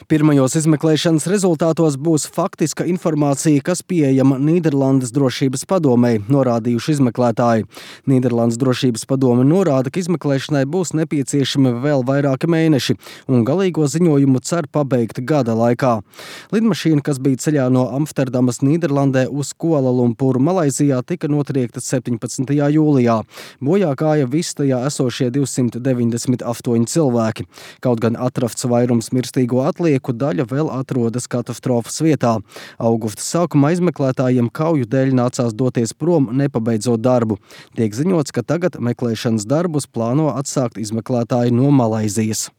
Pirmajos izmeklēšanas rezultātos būs faktiska informācija, kas pieejama Nīderlandes drošības padomei, norādījuši izmeklētāji. Nīderlandes drošības padome norāda, ka izmeklēšanai būs nepieciešami vēl vairāki mēneši, un galīgo ziņojumu cer pabeigt gada laikā. Lidmašīna, kas bija ceļā no Amsterdamas Nīderlandē uz Kuala-Lumpuru Malaizijā, tika notriekta 17. jūlijā. Bojā gāja visi tajā esošie 298 cilvēki. Kaut gan atrafts vairums mirstīgo atlieku, daļa vēl atrodas katastrofas vietā. Augusta sākumā izmeklētājiem kauju dēļ nācās doties prom, nepabeidzot darbu. Tiek ziņots, ka tagad meklēšanas darbus plāno atsākt izmeklētāji no Malaizijas.